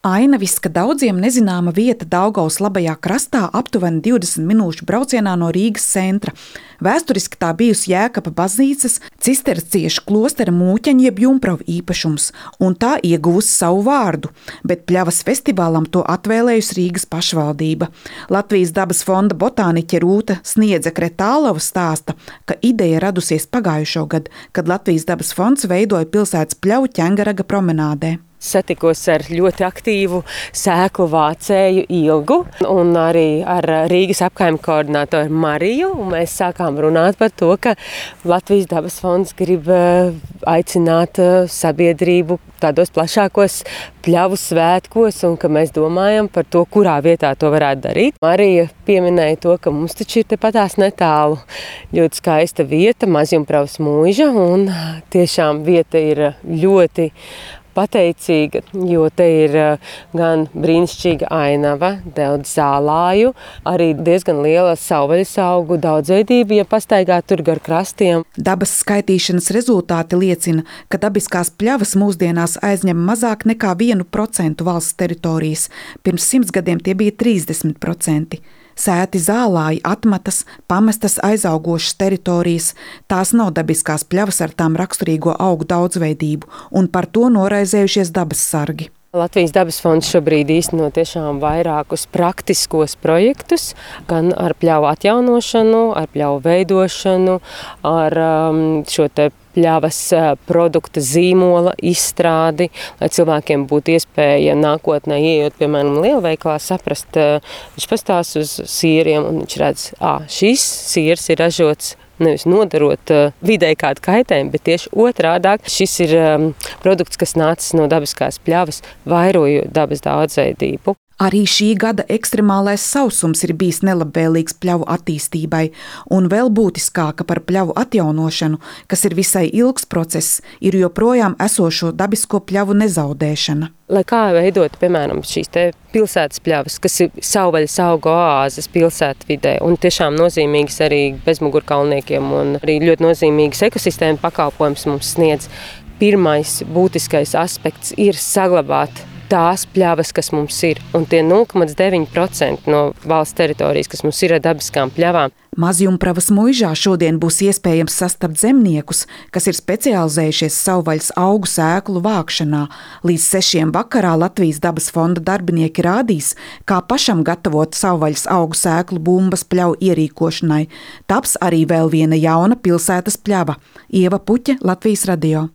Ainaviska daudziem nezināma vieta Daugavas labajā krastā, aptuveni 20 minūšu braucienā no Rīgas centra. Vēsturiski tā bijusi Jēkaba baznīcas cisterciešu klostera mūķeņa jeb Jumpravu īpašums, un tā ieguvusi savu vārdu, bet pļavas festivālam to atvēlējusi Rīgas pašvaldība. Latvijas dabas fonda botāniķe Rūta Sniedze-Kretālova stāsta, ka ideja radusies pagājušo gadu, kad Latvijas dabas fonds veidoja pilsētas pļavu Ķengaraga promenādē. Satikos ar ļoti aktīvu sēklu vācēju Ilgu un arī ar Rīgas apkaimju koordinātoru Mariju. Un mēs sākām runāt par to, ka Latvijas dabas fonds grib aicināt sabiedrību tādos plašākos pļavu svētkos un ka mēs domājam par to, kurā vietā to varētu darīt. Marija pieminēja to, ka mums taču ir tepatās netālu ļoti skaista vieta, Mazjumpravas mūža, un tiešām vieta ir ļoti pateicīga, jo te ir gan brīnišķīga ainava, daudz zālāju, arī diezgan liela savvaļas augu daudzveidība, ja pastaigā tur gar krastiem. Dabas skaitīšanas rezultāti liecina, ka dabiskās pļavas mūsdienās aizņem mazāk nekā 1% valsts teritorijas. Pirms 100 gadiem tie bija 30%. Sēti zālāji, atmatas, pamestas aizaugošas teritorijas, tās nav dabiskās pļavas ar tām raksturīgo augu daudzveidību, un par to noraizējušies dabas sargi. Latvijas dabas fonds šobrīd īsteno tiešām vairākus praktiskos projektus, gan ar pļavu atjaunošanu, ar pļavu veidošanu, ar šo te pļavas produkta zīmola izstrādi, lai cilvēkiem būtu iespēja nākotnē ieejot, piemēram, lielveikalā, saprast, viņš pastās uz sīriem un viņš redz, šis sīrs ir ražots nevis nodarot videi kādu kaitējumu, bet tieši otrādāk. Šis ir produkts, kas nācis no dabiskās pļavas, vairojot dabas daudzveidību. Arī šī gada ekstremālais sausums ir bijis nelabvēlīgs pļavu attīstībai, un vēl būtiskāka par pļavu atjaunošanu, kas ir visai ilgs process, ir joprojām esošo dabisko pļavu nezaudēšana. Lai kā veidot, piemēram, šīs te pilsētas pļavas, kas ir savvaļas augu oāzes pilsētvidē un tiešām nozīmīgas arī bezmugurkalniekiem un arī ļoti nozīmīgas ekosistēma pakalpojums mums sniedz. Pirmais būtiskais aspekts ir saglabāt tās pļavas, kas mums ir, un tie 0,9% no valsts teritorijas, kas mums ir ar dabiskām pļavām. Mazjumpravas muižā šodien būs iespējams sastapt zemniekus, kas ir specializējušies savvaļas augu sēklu vākšanā. Līdz 6 vakarā Latvijas dabas fonda darbinieki rādīs, kā pašam gatavot savvaļas augu sēklu bumbas pļavu ierīkošanai. Taps arī vēl viena jauna pilsētas pļava. Ieva Puķe, Latvijas radio.